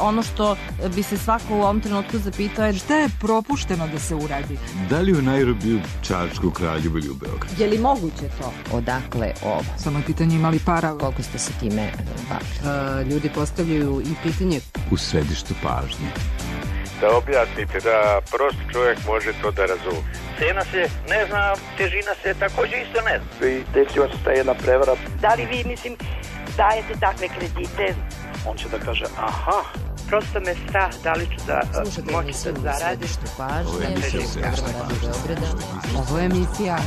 ono što bi se svako u ovom trenutku zapitao je šta je propušteno da se uradi? Da li u Nairobiju, Čačku, Kraljevu ili u Beogradu? Je li moguće to? Odakle ovo? Samo je pitanje imali para. Koliko ste se time bavili? Ljudi postavljaju i pitanje U središtu pažnje. Da objasnite, da prost čovjek može to da razumije. Cena se ne zna, težina se također isto ne zna. I desila se ta jedna prevara. Da li vi, dajete takve kredite? On će da kaže, aha. Prosto me strah, da li ću da moći da zaradim. Ovo je emisija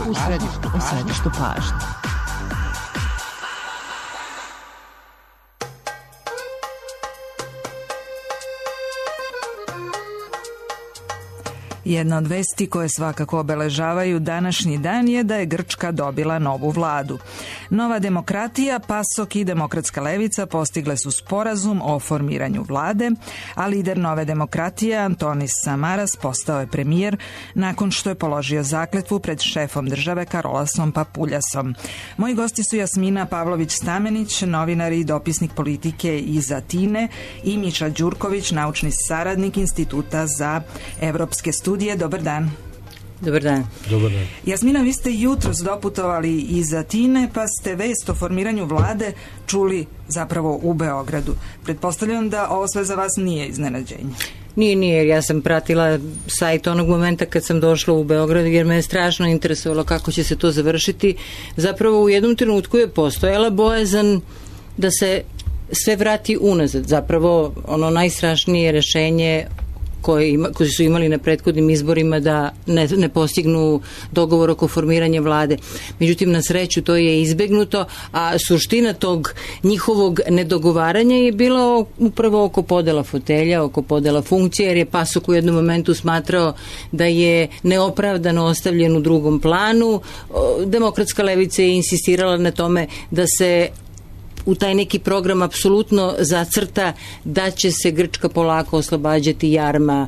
U središtu pažnje. Jedna od vesti koje svakako obeležavaju današnji dan je da je Grčka dobila novu vladu. Nova demokratija, PASOK i Demokratska levica postigle su sporazum o formiranju vlade, a lider Nove demokratije Antonis Samaras postao je premijer nakon što je položio zakletvu pred šefom države Karolasom Papuljasom. Moji gosti su Jasmina Pavlović-Stamenić, novinar i dopisnik politike iz Atine, i Miša Đurković, naučni saradnik Instituta za evropske studije. Dobar dan. Dobar dan. Dobar dan. Jasmina, vi ste jutros doputovali iz Atine, pa ste vest o formiranju vlade čuli zapravo u Beogradu. Pretpostavljam da ovo sve za vas nije iznenađenje. Nije, jer ja sam pratila sajt onog momenta kad sam došla u Beograd, jer me je strašno interesovalo kako će se to završiti. Zapravo u jednom trenutku je postojala bojazan da se sve vrati unazad. Zapravo ono najstrašnije rešenje koji su imali na prethodnim izborima da ne postignu dogovor oko formiranja vlade. Međutim, na sreću to je izbegnuto, a suština tog njihovog nedogovaranja je bila upravo oko podela fotelja, oko podela funkcija, jer je PASOK u jednom momentu smatrao da je neopravdano ostavljen u drugom planu. Demokratska levica je insistirala na tome da se u taj neki program apsolutno zacrta da će se Grčka polako oslobađati jarma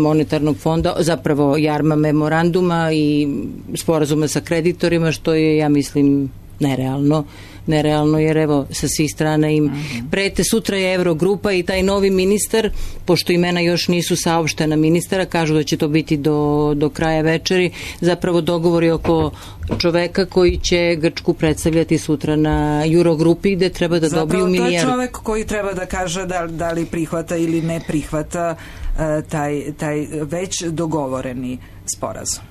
monetarnog fonda, zapravo jarma memoranduma i sporazuma sa kreditorima, što je, ja mislim, nerealno, jer evo sa svih strana im prete. Sutra je Eurogrupa i taj novi ministar, pošto imena još nisu saopštena ministara, kažu da će to biti do kraja večeri, zapravo dogovori oko čoveka koji će Grčku predstavljati sutra na Eurogrupi, gde treba da dobiju milijardu. Zapravo to je čovek koji treba da kaže da li prihvata ili ne prihvata taj već dogovoreni sporazum.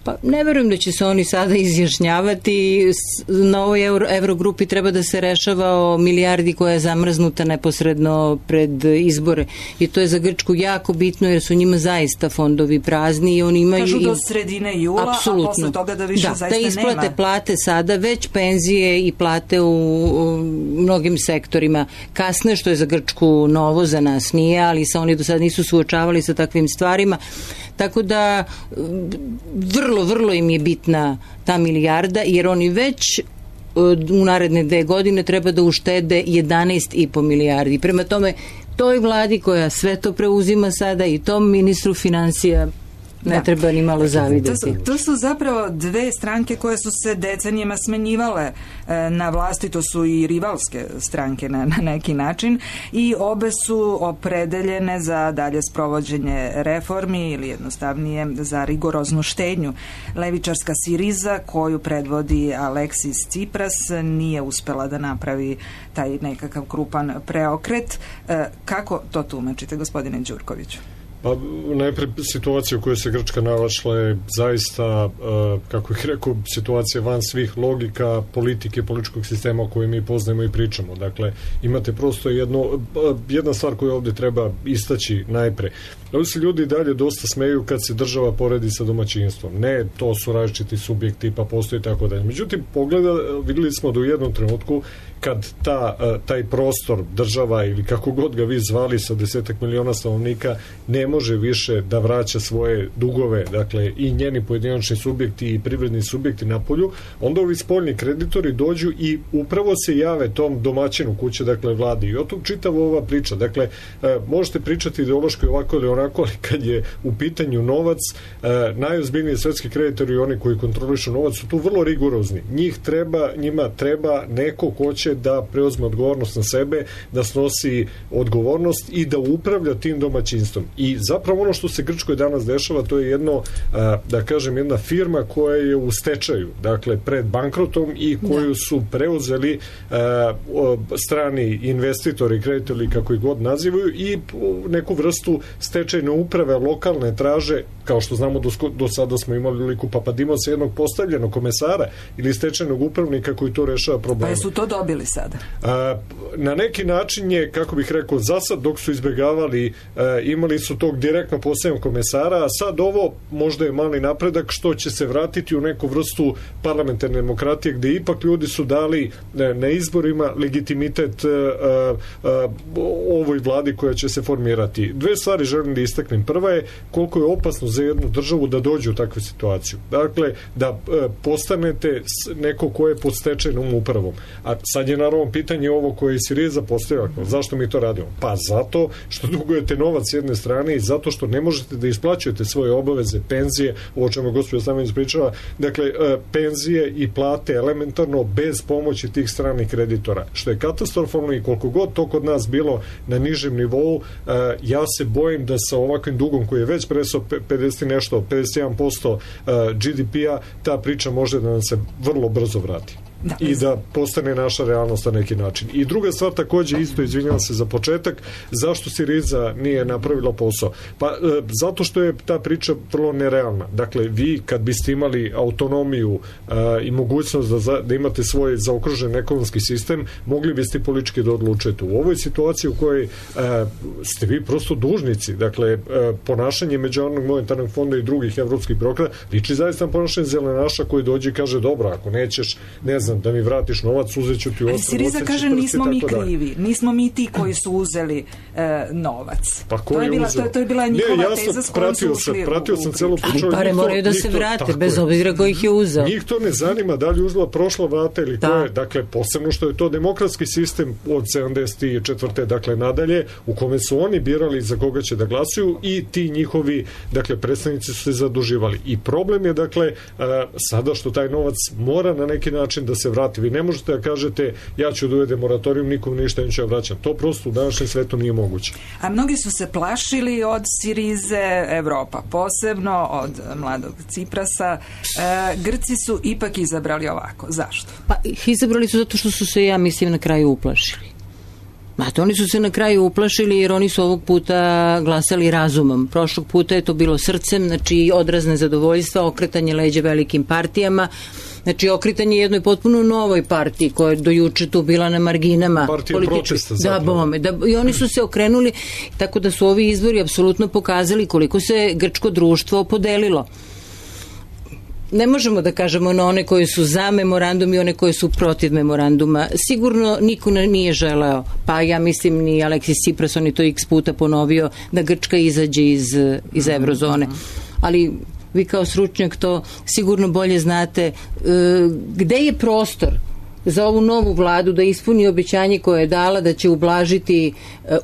Pa ne verujem da će se oni sada izjašnjavati. Na ovoj Eurogrupi treba da se rešava o milijardi koja je zamrznuta neposredno pred izbore. I to je za Grčku jako bitno, jer su njima zaista fondovi prazni i oni imaju... Kažu do sredine jula, apsolutno. A posle toga da više zaista nema. Da isplate plate sada, već penzije i plate u mnogim sektorima kasne, što je za Grčku novo, za nas nije, ali oni do sada nisu suočavali sa takvim stvarima. Tako da vrlo im je bitna ta milijarda, jer oni već u naredne 2 godine treba da uštede 11,5 milijardi. Prema tome, toj vladi koja sve to preuzima sada i tom ministru financija ne treba ni malo zavideti. To su zapravo dve stranke koje su se decenijama smenjivale na vlasti, to su i rivalske stranke na neki način, i obe su opredeljene za dalje sprovođenje reformi ili jednostavnije za rigoroznu štednju. Levičarska Siriza, koju predvodi Aleksis Tsipras, nije uspela da napravi taj nekakav krupan preokret. Kako to tumačite, gospodine Đurkoviću? Pa najpre situacija u kojoj se Grčka našla je zaista, kako ih rekao, situacija van svih logika politike, političkog sistema o kojoj mi poznajemo i pričamo. Dakle, imate prosto jedna stvar koju ovdje treba istaći najpre. Ovdje se ljudi dalje dosta smeju kad se država poredi sa domaćinstvom. Ne, to su različiti subjekti, pa postoji tako dalje. Međutim, vidjeli smo da u jednom trenutku kad taj prostor, država ili kako god ga vi zvali sa 10 miliona stanovnika, ne može više da vraća svoje dugove, dakle i njeni pojedinačni subjekti i privredni subjekti na polju, onda ovi spoljni kreditori dođu i upravo se jave tom domaćinu kuće, dakle vladi. I o tom čitava ova priča. Dakle, možete pričati ideološki ovako ili onako, ali kad je u pitanju novac, najozbiljniji svetski kreditori i oni koji kontrolišu novac su tu vrlo rigorozni. Njima treba neko ko će da preuzme odgovornost na sebe, da snosi odgovornost i da upravlja tim domaćinstvom. I zapravo ono što se Grčkoj danas dešava, to je jedna firma koja je u stečaju, dakle pred bankrotom i koju su preuzeli strani investitori, kreditori, kako ih god nazivaju, i neku vrstu stečajne uprave lokalne traže, kao što znamo do sada smo imali liku Papadimosa, jednog postavljenog komesara ili stečajnog upravnika koji to rešava probleme. Pa su to dobili sada? Na neki način je, kako bih rekao, zasad dok su izbjegavali, imali su tog direktno postavljenog komesara, a sad ovo možda je mali napredak što će se vratiti u neku vrstu parlamentarne demokratije, gde ipak ljudi su dali na izborima legitimitet ovoj vladi koja će se formirati. Dve stvari želim da istaknem. Prva je koliko je opasno za jednu državu da dođe u takvu situaciju. Dakle, da postanete neko ko je pod stečajnom upravom. A sad je naravno pitanje ovo koje je Siriza postavila. Zašto mi to radimo? Pa zato što dugujete novac s jedne strane i zato što ne možete da isplaćujete svoje obaveze, penzije, ovo čemu gospođa Stamenić pričala, dakle, penzije i plate elementarno bez pomoći tih stranih kreditora. Što je katastrofalno i koliko god to kod nas bilo na nižem nivou, ja se bojim da sa ovakvim dugom koji je već presao 51% GDP-a, ta priča može da nam se vrlo brzo vrati. I da postane naša realnost na neki način. I druga stvar takođe isto, izvinjavam se za početak, zašto Siriza nije napravila posao? Pa zato što je ta priča vrlo nerealna. Dakle, vi kad biste imali autonomiju i mogućnost da imate svoj zaokružen ekonomski sistem, mogli biste politički da odlučujete. U ovoj situaciji u kojoj ste vi prosto dužnici, dakle, ponašanje Međunarodnog monetarnog fonda i drugih evropskih birokrata liči zaista na ponašanje zelenaša koji dođe i kaže, dobro, ako nećeš, ne znam, da mi vratiš novac, uzeću ti ostav. Siriza kaže, nismo mi krivi, nismo mi ti koji su uzeli novac. Pa ko je uzeo? To je bila njihova teza s kojom su ušli. Pratio sam celu priču. Ali pare moraju da se vrate, bez obzira ko ih je uzeo. Njih to ne zanima da li uzela prošla vrata ili ko je. Dakle, posebno što je to demokratski sistem od 74. dakle nadalje, u kome su oni birali za koga će da glasuju i ti njihovi, dakle, predstavnici su se zaduživali. I problem je, dakle, sada što taj novac mora na neki način da se vrati. Vi ne možete da kažete, ja ću da uvedem moratorijum, nikom ništa neću vraćam. To prosto u današnjem svetu nije moguće. A mnogi su se plašili od Sirize, Evropa posebno, od mladog Ciprasa. Grci su ipak izabrali ovako. Zašto? Pa izabrali su zato što su se, ja mislim, na kraju uplašili. Oni su se na kraju uplašili jer oni su ovog puta glasali razumom. Prošlog puta je to bilo srcem, znači odraz nezadovoljstva, okretanje leđa velikim partijama, znači okretanje jednoj potpuno novoj partiji koja je do juče tu bila na marginama. Partija protesta zapravo. I oni su se okrenuli, tako da su ovi izbori apsolutno pokazali koliko se grčko društvo podelilo. Ne možemo da kažemo na one koji su za memorandum i one koji su protiv memoranduma. Sigurno niko nije želeo, pa ja mislim ni Aleksis Tsipras, on je to x puta ponovio, da Grčka izađe iz eurozone. Ali vi kao stručnjak to sigurno bolje znate. Gde je prostor za ovu novu vladu da ispuni obećanje koje je dala da će ublažiti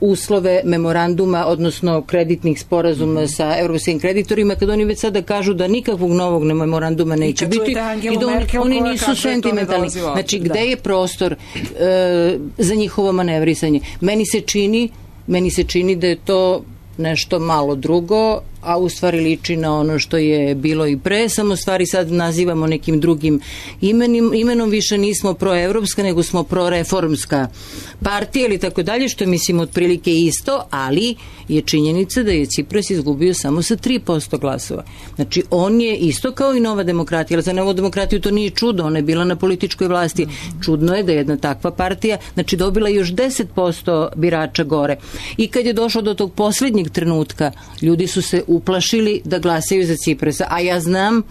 uslove memoranduma, odnosno kreditnih sporazuma sa evropskim kreditorima, kad oni već sada kažu da nikakvog novog memoranduma neće biti i da oni nisu sentimentalni. Znači, gde je prostor za njihovo manevrisanje? Meni se čini da je to nešto malo drugo, a u stvari liči na ono što je bilo i pre, samo stvari sad nazivamo nekim drugim imenom, više nismo proevropska, nego smo proreformska partija ili tako dalje, što je, mislim, otprilike isto, ali je činjenica da je Cipras izgubio samo sa 3% glasova. Znači, on je isto kao i Nova demokratija, ali za Novu demokratiju to nije čudo, ona je bila na političkoj vlasti. Čudno je da je jedna takva partija, znači, dobila još 10% birača gore. I kad je došlo do tog poslednjeg trenutka, ljudi su se uplašili da glasaju za Ciprasa, a ja znam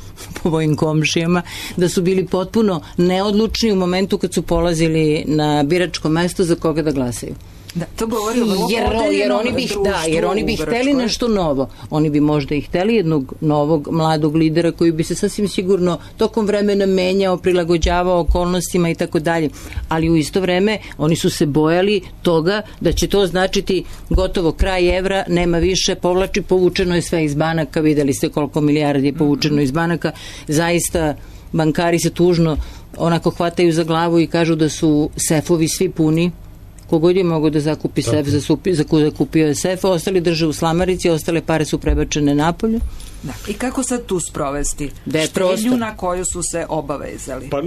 po mojim komšijama da su bili potpuno neodlučni u momentu kad su polazili na biračko mesto za koga da glasaju. Da, to govori o vrlo podeljenom društvu. Jer oni bi hteli nešto novo. Oni bi možda i hteli jednog novog mladog lidera koji bi se sasvim sigurno tokom vremena menjao, prilagođavao okolnostima i tako dalje. Ali u isto vreme oni su se bojali toga da će to značiti gotovo kraj evra, nema više, povučeno je sve iz banaka, videli ste koliko milijardi je povučeno iz banaka. Zaista bankari se tužno onako hvataju za glavu i kažu da su sefovi svi puni. Kogod je mogo da zakupi sef, zakupio je sef, ostali drže u slamarici, ostale pare su prebačene napolje. Da. I kako sad tu sprovesti štednju na koju su se obavezali? Pa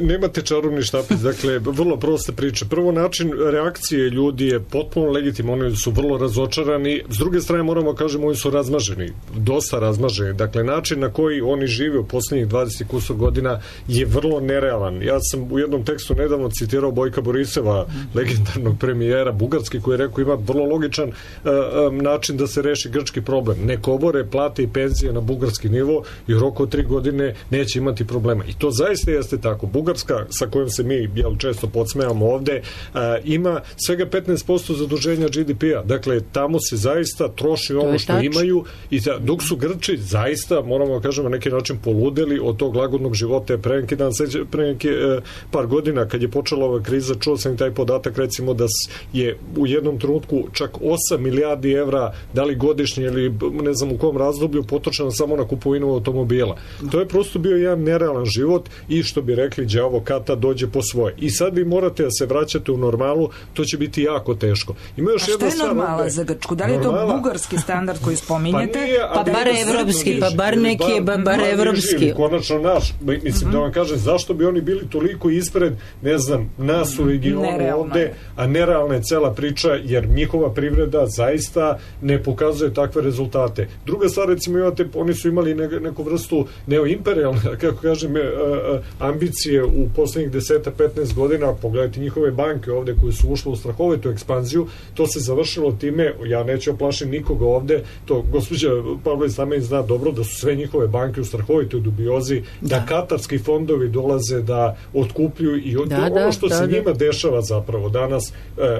nemate čarobni štapić, dakle, vrlo prosta priča. Prvo, način reakcije ljudi je potpuno legitim, oni su vrlo razočarani, s druge strane moramo kažemo oni su razmaženi, dosta razmaženi, dakle način na koji oni žive u poslednjih 20 kusur godina je vrlo nerealan. Ja sam u jednom tekstu nedavno citirao Bojka Borisova, legendarnog premijera Bugarske, koji je rekao ima vrlo logičan način da se reši grčki problem. Nek obore plate i penzije na bugarski nivo i u roku od 3 godine neće imati problema. I to zaista jeste tako. Bugarska, sa kojom se mi često podsmejamo ovde, ima svega 15% zaduženja GDP-a. Dakle, tamo se zaista troši ono što imaju i dok su Grči zaista, moramo da kažemo, na neki način poludeli od tog lagodnog života. Pre neki par godina, kad je počela ova kriza, čuo sam i taj podatak, recimo da je u jednom trenutku čak 8 milijardi evra, da li godišnje ili ne znam u kom razdoblju, potrošeno samo na kupovinu automobila. To je prosto bio jedan nerealan život i što bi rekli đavo kata dođe po svoje. I sad vi morate da se vraćate u normalu, to će biti jako teško. Ima još jedna stvar. A šta je normala za Grčku? Da li je to bugarski standard koji spominjete? Pa bar evropski, pa bar neki je bar evropski. Konačno naš. Mislim da vam kažem, zašto bi oni bili toliko ispred, ne znam, nas u regionu ovde, a nerealna je cela priča, jer njihova privreda zaista ne pokazuje takve rezultate. Druga stvar, recimo, oni su imali neku vrstu neoimperijalne, kako kažem, ambicije u poslednjih 10-15 godina. Pogledajte njihove banke ovde koje su ušle u strahovitu ekspanziju. To se završilo time, ja neću oplašiti nikoga ovde, to gospođa Pavlović Stamen zna dobro da su sve njihove banke u strahovitoj dubiozi, da katarski fondovi dolaze da otkupljuju i ono što se njima dešava zapravo danas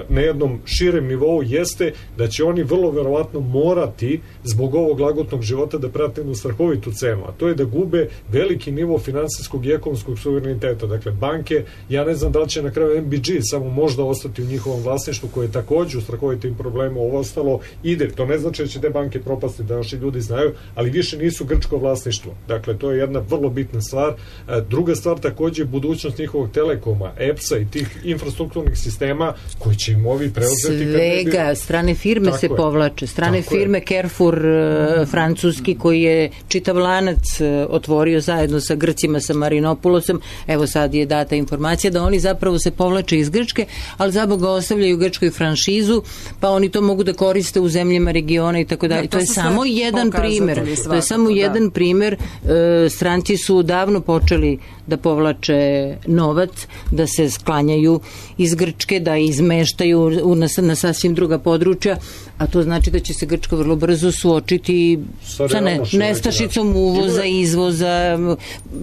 na jednom širem nivou jeste da će oni vrlo verovatno morati zbog ovog lagotnog života da prate jednu strahovitu cenu, a to je da gube veliki nivo finansijskog i ekonomskog suvereniteta. Dakle, banke, ja ne znam da li će na kraju MBG samo možda ostati u njihovom vlasništvu, koje je takođe u strahovitim problemu, ovo ostalo ide. To ne znači da će te banke propasti, da naši ljudi znaju, ali više nisu grčko vlasništvo. Dakle, to je jedna vrlo bitna stvar. Druga stvar takođe je budućnost njihovog telekoma, EPS-a i tih infrastrukturnih sistema koji će im ovi preuzeti. Svega, strane firme se povlače. Strane firme, Carrefour, francuski, koji je čitav lanac otvorio zajedno sa Grcima, sa Marinopulosom. Evo sad je data informacija da oni zapravo se povlače iz Grčke, ali zaboga ostavljaju Grčkoj franšizu, pa oni to mogu da koriste u zemljama regiona i tako dalje. To je samo jedan primer. To je samo jedan primer. Stranci su davno počeli da povlače novac, da se sklanjaju iz Grčke, da izmeštaju na sasvim druga područja, a to znači da će se Grčka vrlo brzo suočiti sa nestašicom uvoza, izvoza,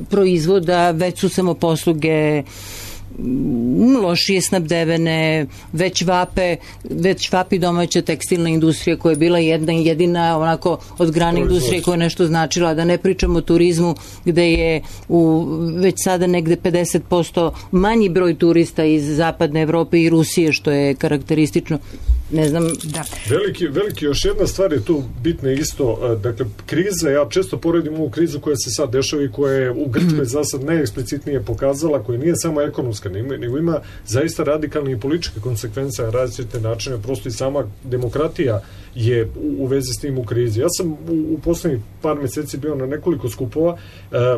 proizvoda, već su samoposluge lošije snabdevene, već vapi domaća tekstilna industrija koja je bila jedina onako od grane industrije koja je nešto značila, da ne pričamo o turizmu gde je već sada negde 50% manji broj turista iz zapadne Evrope i Rusije, što je karakteristično. Ne znam, da. Veliki, još jedna stvar je tu bitna isto, dakle, kriza, ja često poredim ovu krizu koja se sad dešava i koja je u Grčkoj za sad najeksplicitnije pokazala, koja nije samo ekonomska, nego ima zaista radikalne i političke konsekvence na različite načine, prosto i sama demokratija je u vezi s tim u krizi. Ja sam u poslednjih par meseci bio na nekoliko skupova,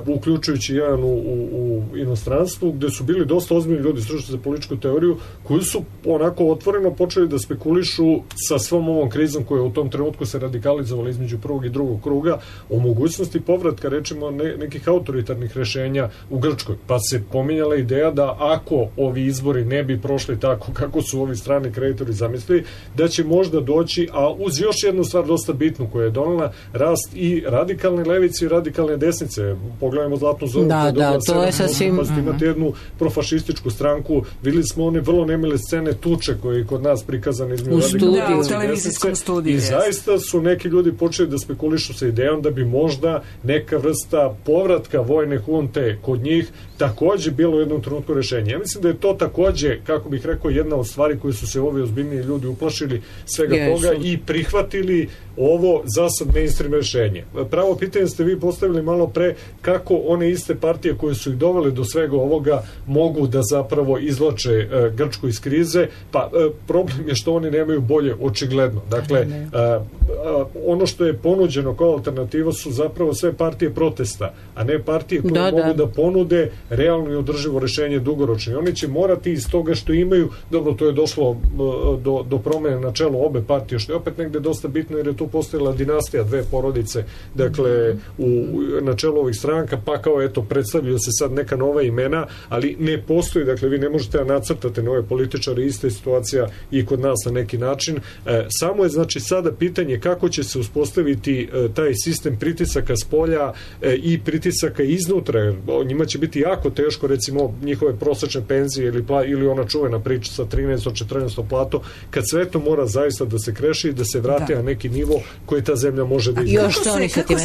uključujući jedan u inostranstvu, gde su bili dosta ozbiljni ljudi stručni za političku teoriju, koji su onako otvoreno počeli da spekulišu sa svom ovom krizom koja u tom trenutku se radikalizovala između prvog i drugog kruga, o mogućnosti povratka, rečimo, nekih autoritarnih rešenja u Grčkoj. Pa se pominjala ideja da ako ovi izbori ne bi prošli tako kako su ovi strani kreditori zamislili, da će možda doći, a uz još jednu stvar dosta bitnu koja je donela, rast i radikalne levice i radikalne desnice. Pogledajmo Zlatnu zoru. Da, to je sasvim... Imate jednu profašističku stranku, vidjeli smo one vrlo nemile scene tuče koje kod nas prikazane između u televizijskom studiju. I zaista su neki ljudi počeli da spekulišu sa idejom da bi možda neka vrsta povratka vojne hunte kod njih takođe bilo u jednom trenutku rešenje. Ja mislim da je to takođe, kako bih rekao, jedna od stvari koje su se ovi ozbiljniji ljudi uplašili svega toga i prihvatili ovo za sad mainstream rešenje. Pravo pitanje ste vi postavili malo pre, kako one iste partije koje su ih dovele do svega ovoga mogu da zapravo izvlače Grčku iz krize, pa problem je što oni nemaju bolje, očigledno. Dakle, ono što je ponuđeno kao alternativa su zapravo sve partije protesta, a ne partije koje mogu da ponude realno i održivo rešenje dugoročno. I oni će morati iz toga što imaju, dobro, to je došlo do promene na čelu obe partije, što je opet negde dosta bitno, jer je tu postojala dinastija, dve porodice, dakle, na čelu ovih stranka, pa kao eto, predstavljaju se sad neka nova imena, ali ne postoji, dakle, vi ne možete da nacrtate nove političare, ista je situacija i kod nas na neki način. Samo je, znači, sada pitanje kako će se uspostaviti taj sistem pritisaka s polja i pritisaka iznutra, jer njima će biti jako teško, recimo, njihove prosečne penzije ili ona čuvena priča sa 13-14 platu, kad sve to mora zaista da se kreši i da se vrati na neki nivo koji ta zemlja može da izgleda. Kako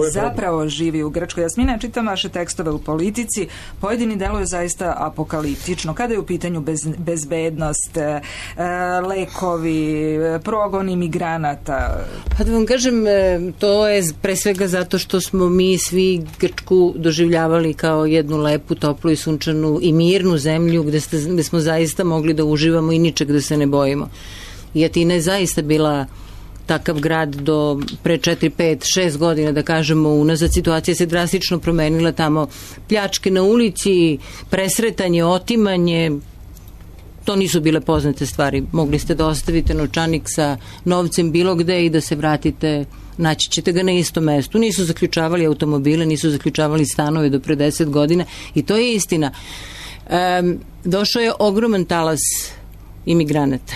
se zapravo živi u Grčkoj? Jasmina, čitam vaše tekstove u Politici, pojedini deluju zaista apokaliptično. Kada je u pitanju bezbednost, lekovi, progon imigranata? Pa da vam kažem, to je pre svega zato što smo mi svi Grčku doživljavali kao jednu lepu, toplu i sunčanu i mirnu zemlju gde smo zaista mogli da uživamo i ničeg da se ne bojimo. I Atina je zaista bila takav grad do pre 4, 5, 6 godina, da kažemo, unazad. Situacija se drastično promenila tamo. Pljačke na ulici, presretanje, otimanje, to nisu bile poznate stvari. Mogli ste da ostavite novčanik sa novcem bilo gde i da se vratite, naći ćete ga na istom mestu. Nisu zaključavali automobile, nisu zaključavali stanove do pre 10 godina i to je istina. Došao je ogroman talas imigranata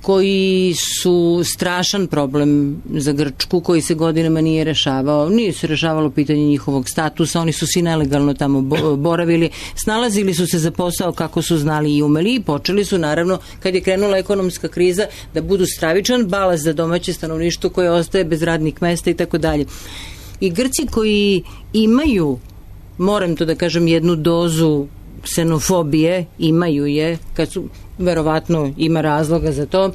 koji su strašan problem za Grčku, koji se godinama nije rešavao. Nije se rešavalo pitanje njihovog statusa, oni su svi nelegalno tamo boravili, snalazili su se za posao kako su znali i umeli i počeli su, naravno, kad je krenula ekonomska kriza, da budu stravičan balast za domaće stanovništvo koje ostaje bez radnih mesta i tako dalje. I Grci koji imaju, moram to da kažem, jednu dozu ksenofobije, imaju je, kad su, verovatno ima razloga za to,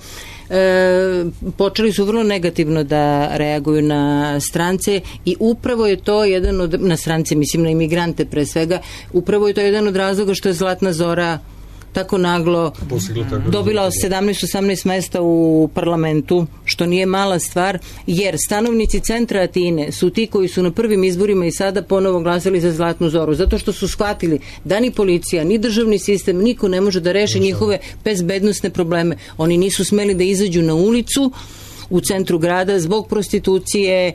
počeli su vrlo negativno da reaguju na strance i upravo je to jedan od, na strance, mislim na imigrante pre svega, upravo je to jedan od razloga što je Zlatna Zora tako naglo dobila 17-18 mesta u parlamentu, što nije mala stvar, jer stanovnici centra Atine su ti koji su na prvim izborima i sada ponovo glasali za Zlatnu Zoru, zato što su shvatili da ni policija, ni državni sistem, niko ne može da reši njihove bezbednosne probleme. Oni nisu smeli da izađu na ulicu u centru grada zbog prostitucije,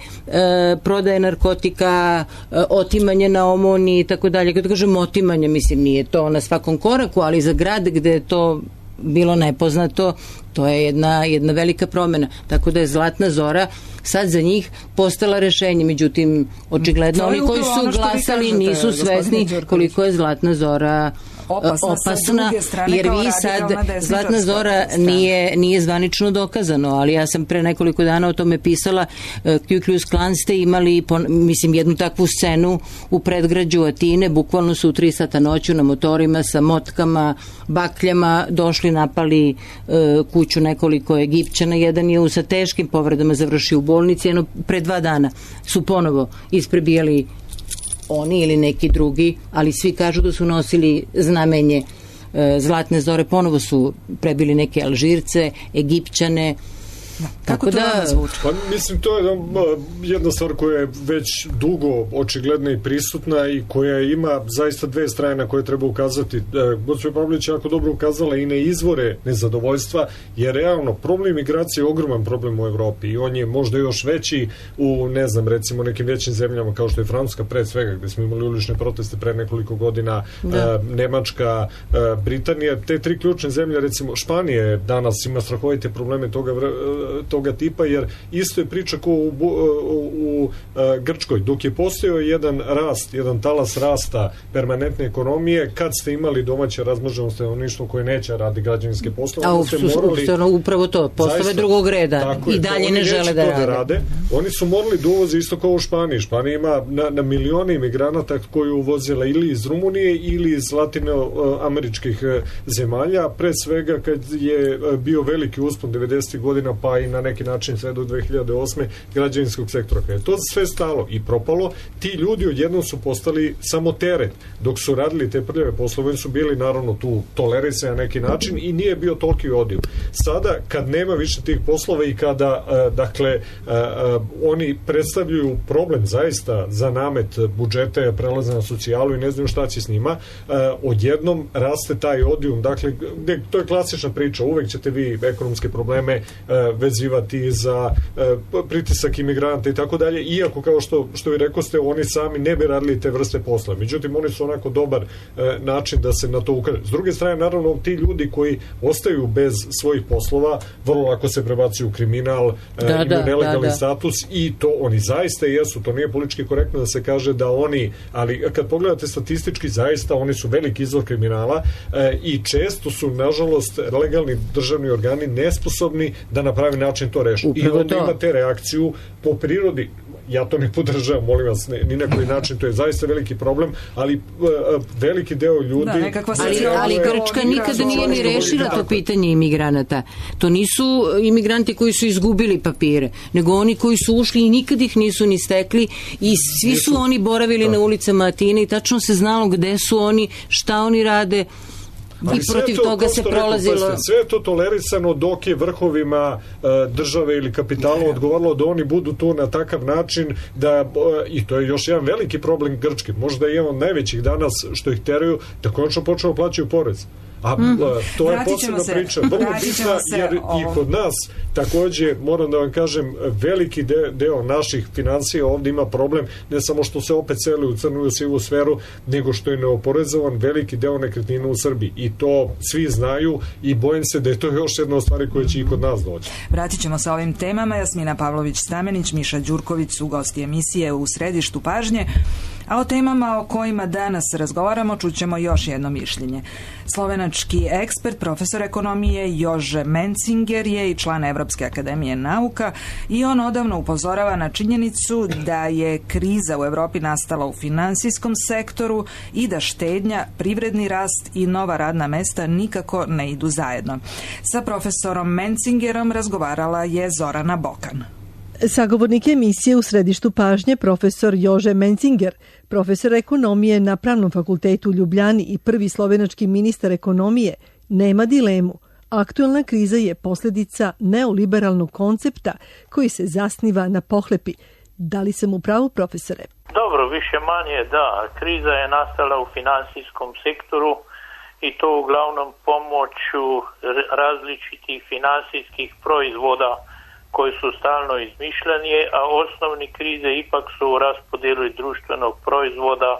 prodaje narkotika, otimanje na omoni i tako dalje. Kad kažem otimanje, mislim, nije to na svakom koraku, ali za grad gde je to bilo nepoznato, to je jedna velika promena. Tako da je Zlatna Zora sad za njih postala rešenje. Međutim, očigledno oni koji su glasali nisu svesni koliko je Zlatna Zora opasna, jer vi sad, Zlatna Zora nije zvanično dokazano, ali ja sam pre nekoliko dana o tome pisala. Ku Klux Klan ste imali, mislim, jednu takvu scenu u predgrađu Atine, bukvalno su u 3 sata noću na motorima sa motkama, bakljama došli, napali kuću nekoliko Egipćana, jedan je sa teškim povredama završio u bolnici, jedno pre 2 dana su ponovo isprebijali oni ili neki drugi, ali svi kažu da su nosili znamenje Zlatne Zore, ponovo su prebili neke Alžirce, Egipćane. Kako to da zvuči? Pa, mislim, to je jedna stvar koja je već dugo očigledna i prisutna i koja ima zaista dve strane na koje treba ukazati. Gospođa Pavlović je jako dobro ukazala i na izvore nezadovoljstva, jer realno problem migracije je ogroman problem u Evropi i on je možda još veći u, ne znam, recimo nekim većim zemljama kao što je Francuska pre svega, gde smo imali ulične proteste pre nekoliko godina, Nemačka, Britanija, te 3 ključne zemlje, recimo Španije danas ima strahovite probleme toga toga tipa, jer isto je priča ko u Grčkoj. Dok je postojao jedan rast, jedan talas rasta permanentne ekonomije, kad ste imali domaće razmnoženo stanovništvo koje neće radi građevinske poslove, upravo to, poslove drugog reda i dalje ne žele da rade. Oni su morali da uvoze isto kao u Španiji. Španija ima na milione imigranata koji uvozila ili iz Rumunije ili iz latinoameričkih zemalja, pre svega kad je bio veliki uspon 90. godina, pa i na neki način sve do 2008. građevinskog sektora. Kad je to sve stalo i propalo, ti ljudi odjednom su postali samo teret. Dok su radili te prljave poslove, su bili naravno tu tolerisani na neki način i nije bio toliki odliv. Sada, kad nema više tih poslova i kada oni predstavljaju problem zaista za namet budžete, prelaze na socijalu i ne znam šta će s njima, odjednom raste taj odijum. Dakle, to je klasična priča. Uvek ćete vi ekonomske probleme vezivati za pritisak imigranata i tako dalje, iako kao što vi rekoste, oni sami ne bi radili te vrste posla. Međutim, oni su onako dobar način da se na to ukaže. S druge strane, naravno, ti ljudi koji ostaju bez svojih poslova, vrlo lako se prebacuju u kriminal, imaju nelegalni status i to oni zaista jesu. To nije politički korektno da se kaže da oni, ali kad pogledate statistički, zaista oni su veliki izvor kriminala i često su, nažalost, legalni državni organi nesposobni da na pravi način to reše. I onda imate reakciju po prirodi. Ja to ne podržavam, molim vas, ni na koji način, to je zaista veliki problem, ali veliki deo ljudi... Ali Grčka nikada nije ni rešila to pitanje imigranata. To nisu imigranti koji su izgubili papire, nego oni koji su ušli i nikad ih nisu ni stekli i svi su oni boravili na ulicama Atine i tačno se znalo gde su oni, šta oni rade. I protiv toga se prolazilo. Sve je to tolerisano dok je vrhovima države ili kapitala odgovaralo da oni budu tu na takav način da, i to je još jedan veliki problem Grčke, možda je jedan od najvećih danas što ih teraju, da konačno počeo plaćaju porez. A to je posebna priča, vrlo bitna, jer i kod nas takođe, moram da vam kažem, veliki deo naših financija ovdje ima problem, ne samo što se opet seli u crnu i sivu sferu, nego što je neoporezovan veliki deo nekretnina u Srbiji. I to svi znaju i bojim se da je to još jedna od stvari koja će i kod nas doći. Vratit ćemo se ovim temama. Jasmina Pavlović-Stamenić, Miša Đurković su gosti emisije U središtu pažnje. A o temama o kojima danas razgovaramo čućemo još jedno mišljenje. Slovenački ekspert, profesor ekonomije Jože Mencinger je i član Evropske akademije nauka i on odavno upozorava na činjenicu da je kriza u Evropi nastala u finansijskom sektoru i da štednja, privredni rast i nova radna mesta nikako ne idu zajedno. Sa profesorom Mencingerom razgovarala je Zorana Bokan. Sagovornik emisije U središtu pažnje profesor Jože Mencinger, profesor ekonomije na Pravnom fakultetu u Ljubljani i prvi slovenački ministar ekonomije, nema dilemu. Aktualna kriza je posljedica neoliberalnog koncepta koji se zasniva na pohlepi. Da li sam u pravu, profesore? Dobro, više manje da. Kriza je nastala u finansijskom sektoru i to uglavnom pomoću različitih finansijskih proizvoda koji su stalno izmišljanje, a osnovni krize ipak su u raspodjeli društvenog proizvoda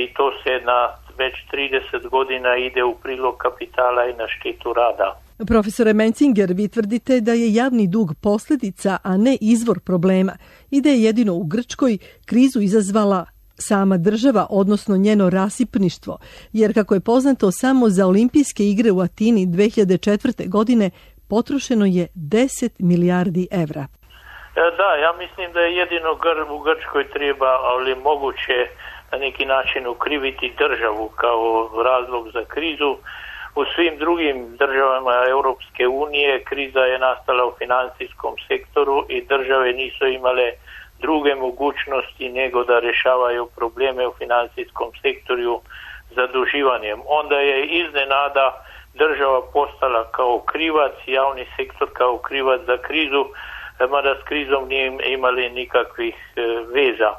i to se na već 30 godina ide u prilog kapitala i na štetu rada. Profesore Mencinger, vi tvrdite da je javni dug posljedica, a ne izvor problema i da je jedino u Grčkoj krizu izazvala sama država, odnosno njeno rasipništvo, jer kako je poznato, samo za olimpijske igre u Atini 2004. godine potrošeno je 10 milijardi evra. Da, ja mislim da je jedino u Grčkoj treba, ali moguće na neki način ukriviti državu kao razlog za krizu. U svim drugim državama Europske unije kriza je nastala u financijskom sektoru i države nisu imale druge mogućnosti nego da rješavaju probleme u financijskom sektoru zaduživanjem. Onda je iznenada država postala kao krivac, javni sektor kao krivac za krizu, mada s krizom nije imali nikakvih veza.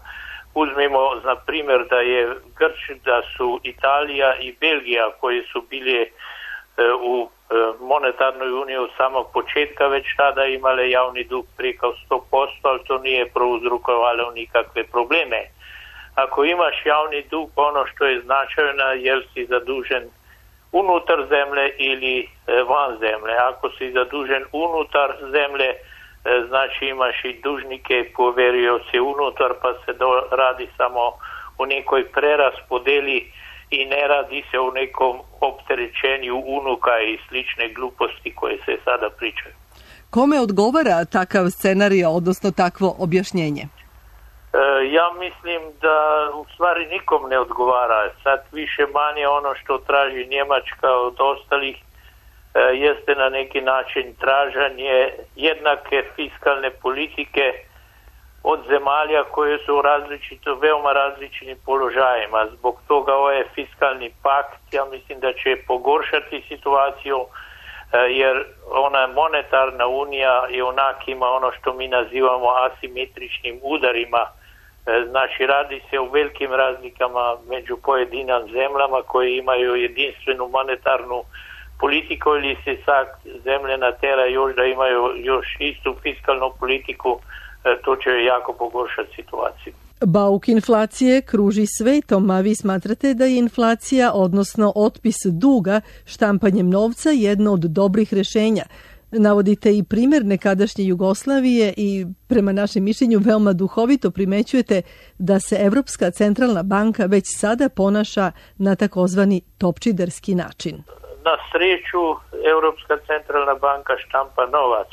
Uzmimo na primjer da su Italija i Belgija koji su bili u monetarnoj uniji od samog početka već tada imale javni dug preko 100%, ali to nije prouzrokovalo nikakve probleme. Ako imaš javni dug, ono što je značajno, jer si zadužen unutar zemlje ili van zemlje. Ako si zadužen unutar zemlje, znači imaš i dužnike i poverioce unutar, pa se radi samo o nekoj preraspodeli i ne radi se o nekom opterećenju unuka i slične gluposti koje se sada pričaju. Kome odgovara takav scenarij, odnosno takvo objašnjenje? Ja mislim da u stvari nikom ne odgovara. Sad više manje ono što traži Njemačka od ostalih jeste na neki način tražanje jednake fiskalne politike od zemalja koje su veoma različitim položajima. Zbog toga ovaj fiskalni pakt, ja mislim da će pogoršati situaciju, jer ona monetarna unija je onak ima ono što mi nazivamo asimetričnim udarima. Znači radi se o velikim razlikama među pojedinim zemljama koje imaju jedinstvenu monetarnu politiku ili se sad zemlje natera još da imaju još istu fiskalnu politiku, to će jako pogoršati situaciju. Bauk inflacije kruži svetom, a vi smatrate da je inflacija, odnosno otpis duga štampanjem novca, jedno od dobrih rješenja. Navodite i primjer nekadašnje Jugoslavije i prema našem mišljenju veoma duhovito primećujete da se Evropska centralna banka već sada ponaša na takozvani topčiderski način. Na sreću Europska centralna banka štampa novac,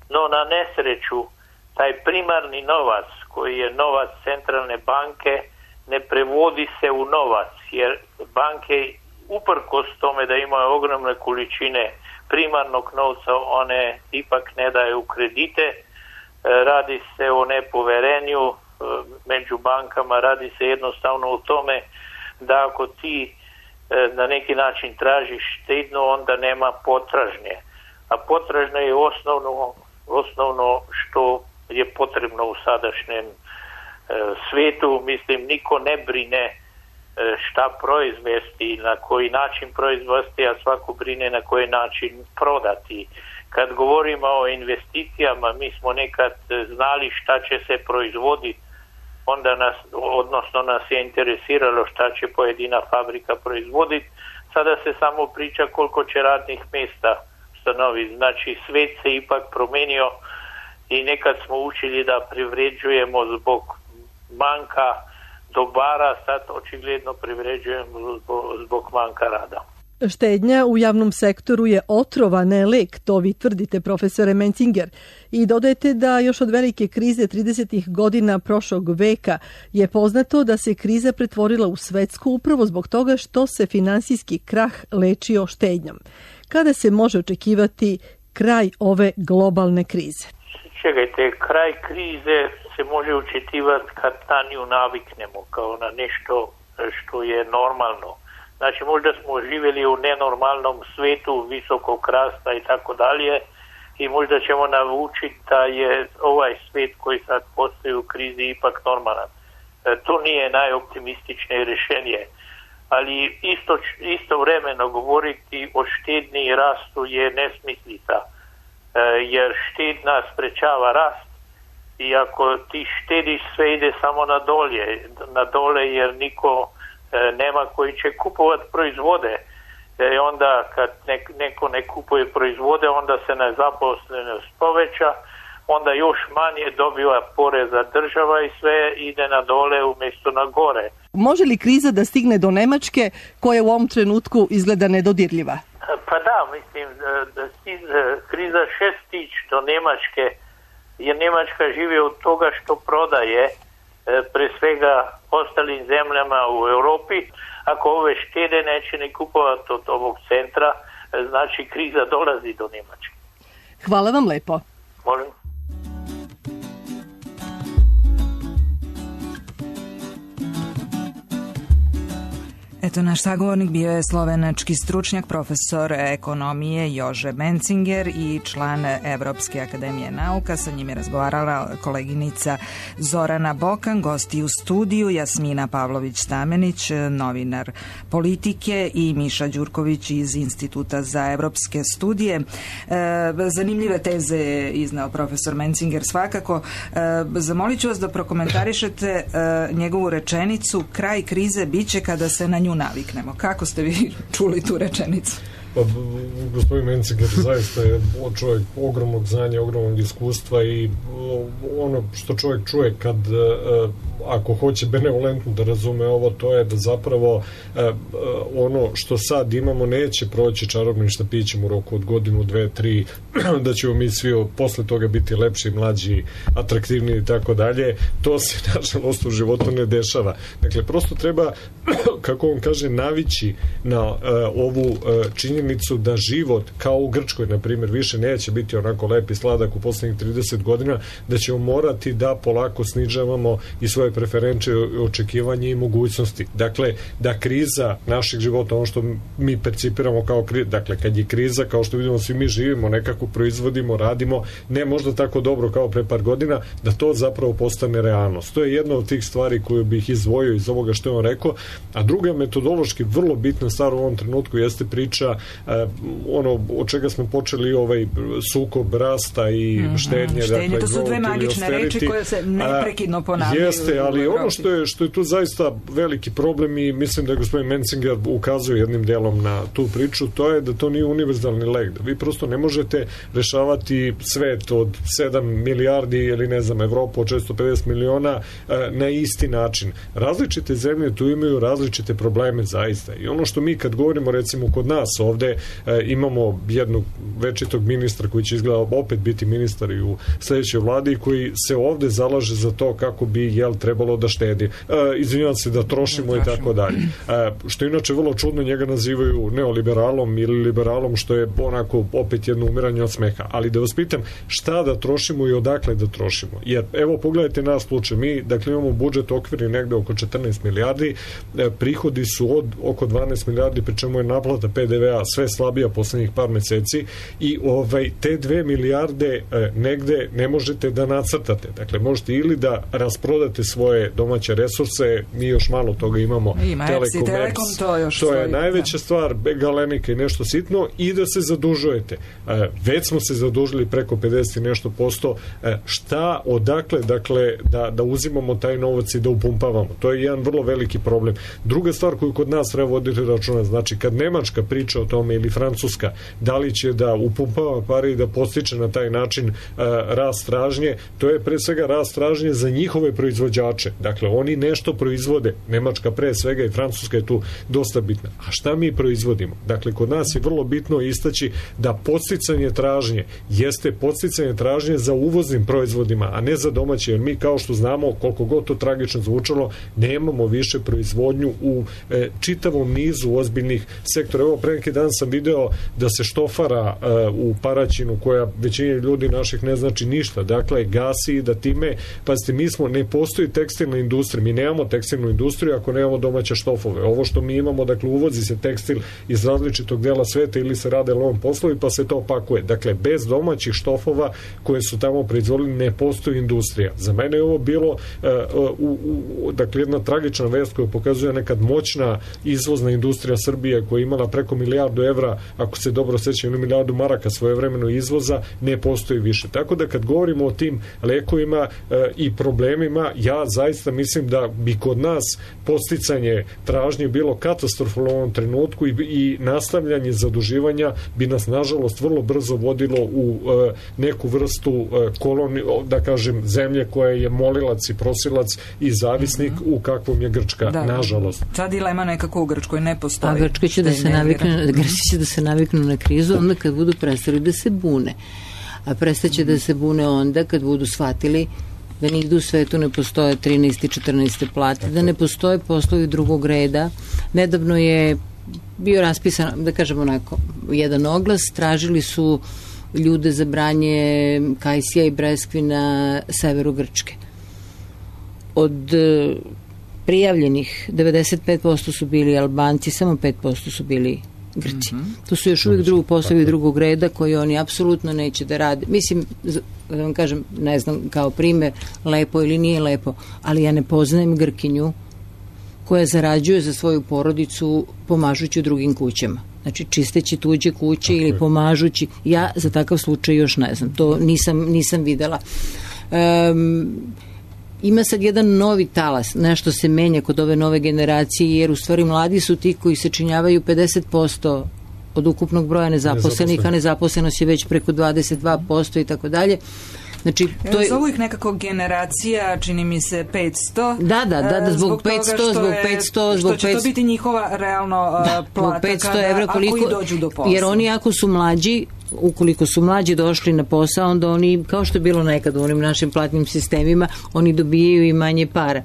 no na nesreću taj primarni novac koji je novac centralne banke ne prevodi se u novac, jer banke uprkos tome da imaju ogromne količine primarnog novca, one ipak ne daju kredite. Radi se o nepoverenju među bankama, radi se jednostavno o tome da ako ti na neki način tražiš štedno, onda nema potražnje. A potražnje je osnovno što je potrebno u sadašnjem svijetu. Mislim, niko ne brine šta proizvesti, na koji način proizvesti, a svako brine na koji način prodati. Kad govorimo o investicijama, mi smo nekad znali šta će se proizvoditi, onda nas je interesiralo šta će pojedina fabrika proizvoditi. Sada se samo priča koliko će radnih mjesta stanoviti. Znači, svijet se ipak promijenio i nekad smo učili da privređujemo zbog manjka dobara, sad očigledno privređujemo zbog manjka rada. Štednja u javnom sektoru je otrova, ne lek, to vi tvrdite, profesore Mencinger. I dodajete da još od velike krize 30. godina prošlog veka je poznato da se kriza pretvorila u svetsku upravo zbog toga što se finansijski krah lečio štednjom. Kada se može očekivati kraj ove globalne krize? Čekajte, kraj krize se može očekivati kad na nju naviknemo, kao na nešto što je normalno. Znači, možda smo živjeli u nenormalnom svijetu, visokog rasta i tako dalje, i možda ćemo naučiti da je ovaj svijet koji sad postoji u krizi ipak normalan. To nije najoptimističnije rješenje, ali istovremeno govoriti o štednji i rastu je nesmislica, jer štednja sprečava rast i ako ti štediš sve ide samo na dole jer niko nema koji će kupovati proizvode. Onda kad neko ne kupuje proizvode, onda se nezaposlenost poveća, onda još manje dobiva poreza država i sve ide na dole umjesto na gore. Može li kriza da stigne do Njemačke koja u ovom trenutku izgleda nedodirljiva? Pa da, mislim da kriza stić do Njemačke, jer Njemačka živi od toga što prodaje pre svega ostalim zemljama u Europi. Ako ove štede neće ne kupovati od ovog centra, znači kriza dolazi do Njemačke. Hvala vam lepo. Molim. Eto, naš sagovornik bio je slovenački stručnjak, profesor ekonomije Jože Mencinger i član Evropske akademije nauka. Sa njim je razgovarala koleginica Zorana Bokan, gosti u studiju Jasmina Pavlović-Stamenić, novinar politike, i Miša Đurković iz Instituta za evropske studije. Zanimljive teze je iznao profesor Mencinger svakako. Zamolit ću vas da prokomentarišete njegovu rečenicu: kraj krize biće kada se na nju naviknemo. Kako ste vi čuli tu rečenicu? Pa, gospodin Mencinger zaista je čovjek ogromnog znanja, ogromnog iskustva i ono što čovjek čuje kad ako hoće benevolentno da razume ovo, to je da zapravo ono što sad imamo neće proći čarobnim štapićem u roku od godinu, 2, 3, da ćemo mi svi posle toga biti lepši, mlađi, atraktivniji i tako dalje. To se nažalost u životu ne dešava. Dakle, prosto treba, kako on kaže, navići na ovu činjenicu da život, kao u Grčkoj, na primjer, više neće biti onako lep i sladak u poslednjih 30 godina, da ćemo morati da polako snižavamo i svoje preferencije, očekivanje i mogućnosti. Dakle, da kriza naših života, ono što mi percipiramo kao kriza, dakle, kad je kriza, kao što vidimo, svi mi živimo, nekako proizvodimo, radimo, ne možda tako dobro kao pre par godina, da to zapravo postane realnost. To je jedna od tih stvari koju bih izdvojio iz ovoga što je on rekao, a druga metodološki vrlo bitna stvar u ovom trenutku jeste priča ono od čega smo počeli ovaj sukob rasta i štednje. Dakle, to su dve magične reči koje se neprekidno ponavljaju. Jeste, ali ono što je tu zaista veliki problem i mislim da je gospodin Mencinger ukazuje jednim delom na tu priču, to je da to nije univerzalni lek, da vi prosto ne možete rešavati svet od 7 milijardi ili ne znam Evropu od 650 miliona na isti način. Različite zemlje tu imaju različite probleme zaista i ono što mi kad govorimo recimo kod nas ovde imamo jednog večitog ministra koji će izgleda opet biti ministar i u sledećoj vladi koji se ovde zalaže za to kako bi trebalo da štedi. Izvinjavam se, da trošimo i tako dalje. Što inače vrlo čudno, njega nazivaju neoliberalom ili liberalom, što je onako opet jedno umiranje od smeha. Ali da vas pitam, šta da trošimo i odakle da trošimo? Jer evo pogledajte nas slučaj, mi dakle imamo budžet okvirni negde oko 14 milijardi, prihodi su od oko 12 milijardi, pri čemu je naplata PDV-a sve slabija poslednjih par meseci i te 2 milijarde negde ne možete da nacrtate. Dakle, možete ili da rasprodate svoje domaće resurse, mi još malo toga imamo, Telekom, to je najveća stvar, Galenika i nešto sitno, i da se zadužujete. Već smo se zadužili preko 50 i nešto posto. Šta, odakle, dakle, da uzimamo taj novac i da upumpavamo? To je jedan vrlo veliki problem. Druga stvar koju kod nas treba voditi računa, znači kad Nemačka priča o tome ili Francuska, da li će da upumpava pare i da postiče na taj način rast tražnje, to je pre svega rast tražnje za njihove proizvođače. Dakle, oni nešto proizvode. Nemačka pre svega i Francuska je tu dosta bitna. A šta mi proizvodimo? Dakle, kod nas je vrlo bitno istaći da podsticanje tražnje jeste podsticanje tražnje za uvoznim proizvodima, a ne za domaće, jer mi kao što znamo, koliko god to tragično zvučalo, nemamo više proizvodnju u čitavom nizu ozbiljnih sektora. Evo, pre neki dan sam video da se štofara u Paraćinu, koja većini ljudi naših ne znači ništa, dakle, gasi, da time, pazite, ne postoji tekstilna industrija, mi nemamo tekstilnu industriju ako nemamo domaće štofove. Ovo što mi imamo, dakle, uvozi se tekstil iz različitog dela sveta ili se rade lovom poslovi pa se to opakuje. Dakle, bez domaćih štofova koje su tamo proizvodili ne postoji industrija. Za mene je ovo bilo dakle, jedna tragična vest koja pokazuje nekad moćna izvozna industrija Srbije koja je imala preko 1 milijardu evra, ako se dobro sećam, 1 milijardu maraka svojevremeno izvoza, ne postoji više. Tako da kad govorimo o tim lekovima i problemima, ja zaista mislim da bi kod nas podsticanje tražnje bilo katastrofalno u ovom trenutku i nastavljanje zaduživanja bi nas nažalost vrlo brzo vodilo u neku vrstu da kažem zemlje koja je molilac i prosilac i zavisnik u kakvom je Grčka, nažalost. Ta dilema nekako u Grčkoj ne postoji. A Grčka će da se naviknu na krizu onda kad budu prestali da se bune. A prestaće da se bune onda kad budu shvatili da nigde u svetu ne postoje 13. i 14. plate, da ne postoje poslovi drugog reda. Nedavno je bio raspisan, da kažem onako, jedan oglas, tražili su ljude za branje kajsija i breskvi na severu Grčke. Od prijavljenih 95% su bili Albanci, samo 5% su bili Grci. To su još uvijek poslovi drugog reda koji oni apsolutno neće da rade. Mislim, da vam kažem, ne znam, kao primer, lepo ili nije lepo, ali ja ne poznajem Grkinju koja zarađuje za svoju porodicu pomažući u drugim kućama. Znači, čisteći tuđe kuće ili pomažući. Ja za takav slučaj još ne znam. To nisam videla. ima sad jedan novi talas, nešto se menja kod ove nove generacije, jer u stvari mladi su ti koji sačinjavaju 50% od ukupnog broja nezaposlenih, a nezaposlenost je već preko 22% i tako dalje. Znači, to je... Zovu ih nekako generacija, čini mi se 500. Da, zbog 500, što će to biti njihova realno plata 500 evra, ako i dođu do posla. Jer oni ako su mlađi, ukoliko su mlađi došli na posao, onda oni, kao što je bilo nekad u onim našim platnim sistemima, oni dobijaju i manje para.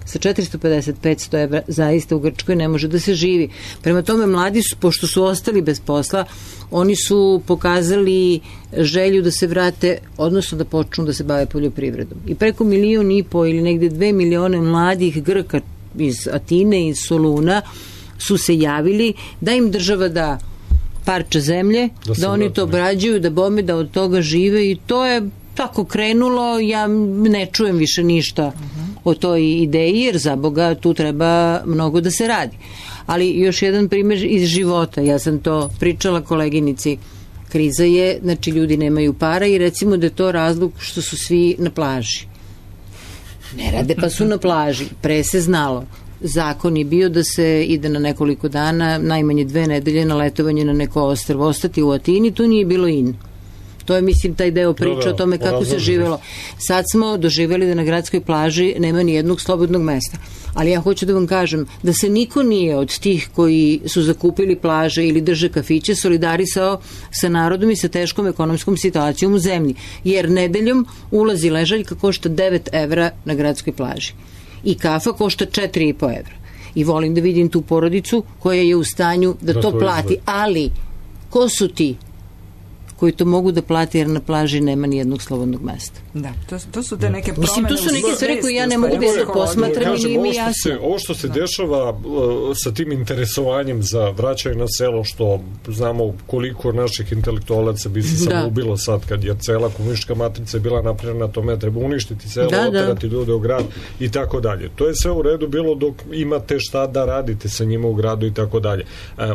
Sa 450-500 evra zaista u Grčkoj ne može da se živi. Prema tome, mladi su, pošto su ostali bez posla, oni su pokazali želju da se vrate, odnosno da počnu da se bave poljoprivredom. I preko 1,5 miliona ili negde 2 milione mladih Grka iz Atine, iz Soluna su se javili da im država da parče zemlje, da oni to obrađuju, da bome, da od toga žive, i to je tako krenulo. Ja ne čujem više ništa o toj ideji, jer za Boga tu treba mnogo da se radi. Ali još jedan primjer iz života, ja sam to pričala koleginici, kriza je, znači ljudi nemaju para i recimo da je to razlog što su svi na plaži. Ne rade pa su na plaži, pre se znalo. Zakon je bio da se ide na nekoliko dana, najmanje 2 nedelje na letovanje na neko ostrvo, ostati u Atini, to nije bilo in. To je, mislim, taj deo priča o tome kako se živelo. Sad smo doživjeli da na gradskoj plaži nema ni jednog slobodnog mesta. Ali ja hoću da vam kažem da se niko nije od tih koji su zakupili plaže ili drže kafiće solidarisao sa narodom i sa teškom ekonomskom situacijom u zemlji. Jer nedeljom ulazi ležaljka košta 9 evra na gradskoj plaži. I kafa košta 4,5 evra. I volim da vidim tu porodicu koja je u stanju da to plati. Ali, ko su ti koji to mogu da plati, jer na plaži nema ni jednog slobodnog mesta? Da, to su te neke promene. Mislim, to su neke stvari koje ja ne mogu da se posmatram i nije mi jasno. Ovo što se dešava sa tim interesovanjem za vraćanje na selo, što znamo koliko naših intelektualaca bi se samo ubilo sad, kad je cela komunistička matrica bila napravljena na tome, treba uništiti selo, oterati ljude u grad i tako dalje. To je sve u redu bilo dok imate šta da radite sa njima u gradu i tako dalje.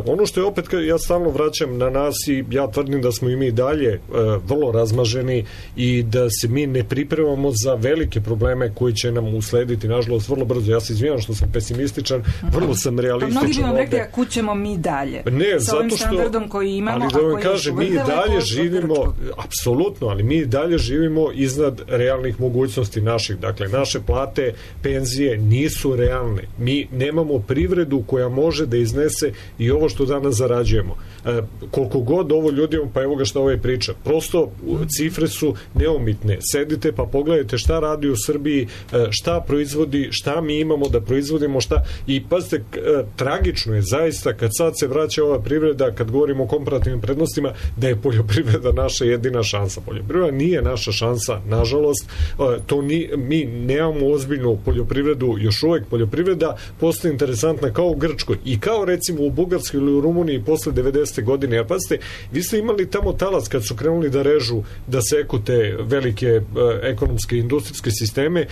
Ono što je opet, ja stalno vraćam na nas i ja tvrdim da smo i mi dalje vrlo razmaženi i da se mi ne pripremamo za velike probleme koji će nam uslediti, nažalost, vrlo brzo. Ja se izvinjam što sam pesimističan, vrlo sam realističan. Mnogi bi vam rekli, a kud ćemo mi dalje? Ne, sa ovim standardom koji imamo, ali da vam kažem, mi dalje živimo, apsolutno, ali mi dalje živimo iznad realnih mogućnosti naših. Dakle, naše plate, penzije nisu realne. Mi nemamo privredu koja može da iznese i ovo što danas zarađujemo. Koliko god ovo ljudima, pa evo ga što ovaj priča, prosto cifre su neumitne. Sedite pa pogledajte šta radi u Srbiji, šta proizvodi, šta mi imamo da proizvodimo, šta, i pazite, tragično je zaista kad sad se vraća ova privreda, kad govorimo o komparativnim prednostima, da je poljoprivreda naša jedina šansa. Poljoprivreda nije naša šansa, nažalost, mi nemamo ozbiljnu poljoprivredu, još uvek poljoprivreda postaje interesantna kao u Grčkoj i kao recimo u Bugarskoj ili u Rumuniji posle 90. godine. Jer pazite, vi ste imali tamo talas kad su krenuli da režu, da seku te velike ekonomske i industrijske sisteme,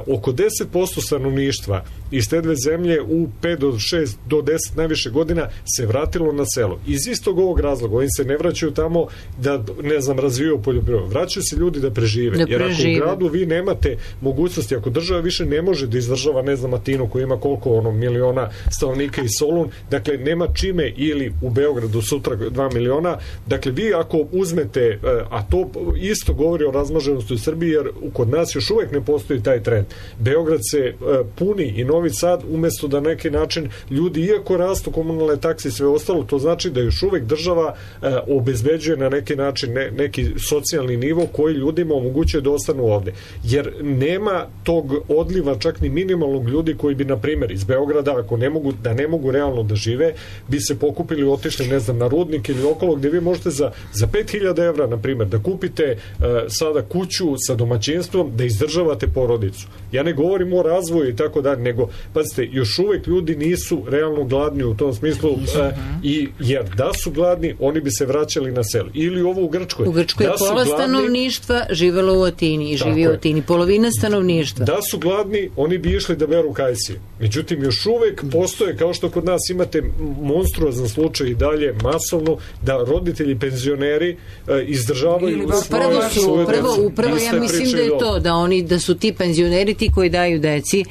oko 10% stanovništva iz te dve zemlje u 5 do 6 do 10 najviše godina se vratilo na selo. Iz istog ovog razloga, oni se ne vraćaju tamo da, ne znam, razvijaju poljoprivredu. Vraćaju se ljudi da prežive. Jer ako u gradu vi nemate mogućnosti, ako država više ne može da izdržava, ne znam, Atinu koji ima koliko miliona stanovnika i Solun, dakle nema čime, ili u Beogradu sutra 2 miliona, dakle vi ako uzmete, a to isto govori o razmaženosti u Srbiji, jer kod nas još uvek ne postoji taj trend. Beograd se puni i Novi Sad, umesto da neki način ljudi, iako rastu komunalne takse i sve ostalo, to znači da još uvek država obezbeđuje na neki način neki socijalni nivo koji ljudima omogućuje da ostanu ovde. Jer nema tog odliva čak ni minimalnog ljudi koji bi, na primjer, iz Beograda, ako ne mogu realno da žive, bi se pokupili i otišli, ne znam, na Rudnik ili okolo, gde vi možete za 5.000 evra, na primjer, da kupite sada kuću sa domaćinstvom, da izdržavate porodicu. Ja ne govorim o razvoju i tako dalje, nego, pazite, još uvek ljudi nisu realno gladni u tom smislu, jer da su gladni, oni bi se vraćali na selo. Ili ovo u Grčkoj. U Grčkoj je pola stanovništva živelo u Atini i živi u Atini. Polovina stanovništva. Da su gladni, oni bi išli da beru kajsije. Međutim, još uvek postoje, kao što kod nas imate monstruozan slučaj i dalje masovno, da roditelji penzioneri penzioneri izdržavaju upravo ja mislim da je to, da su ti penzioneri ti koji daju deci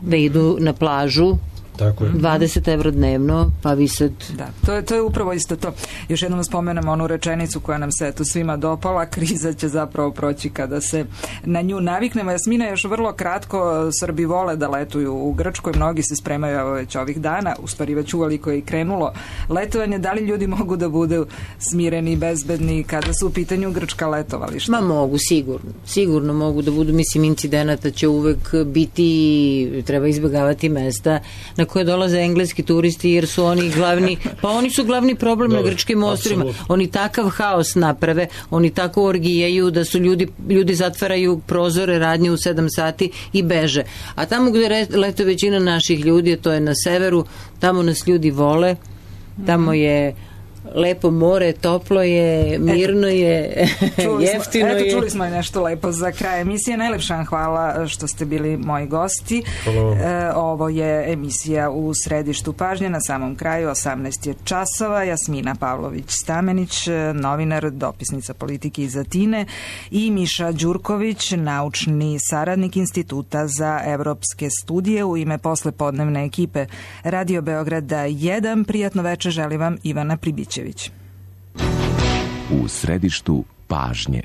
da idu na plažu. Tako je. 20 € dnevno, pa vi sad... Da, to je upravo isto to. Još jednom spomenemo onu rečenicu koja nam se tu svima dopala, kriza će zapravo proći kada se na nju naviknemo. Jasmina, još vrlo kratko, Srbi vole da letuju u Grčkoj, mnogi se spremaju evo već ovih dana, u stvari već uveliko je i krenulo letovanje. Da li ljudi mogu da budu smireni i bezbedni kada su u pitanju grčka letovališta? Ma mogu, sigurno mogu da budu, mislim, incidenata će uvek biti, treba izbjegavati mesta na koje dolaze engleski turisti jer su oni glavni, pa oni su glavni problem na grčkim ostrvima. Oni takav haos naprave, oni tako orgijaju da su ljudi zatvaraju prozore radnje u 7 sati i beže. A tamo gde lete većina naših ljudi, to je na severu, tamo nas ljudi vole, tamo je lepo more, toplo je, mirno je, jeftino je. Čuli smo nešto lepo za kraj emisije. Najlepša vam hvala što ste bili moji gosti. Ovo je emisija u središtu pažnje. Na samom kraju 18 je časova. Jasmina Pavlović-Stamenić, novinar, dopisnica politike iz Atine, i Miša Đurković, naučni saradnik Instituta za evropske studije. U ime poslepodnevne ekipe Radio Beograda 1. Prijatno večer želi vam Ivana Pribićević. U središtu pažnje.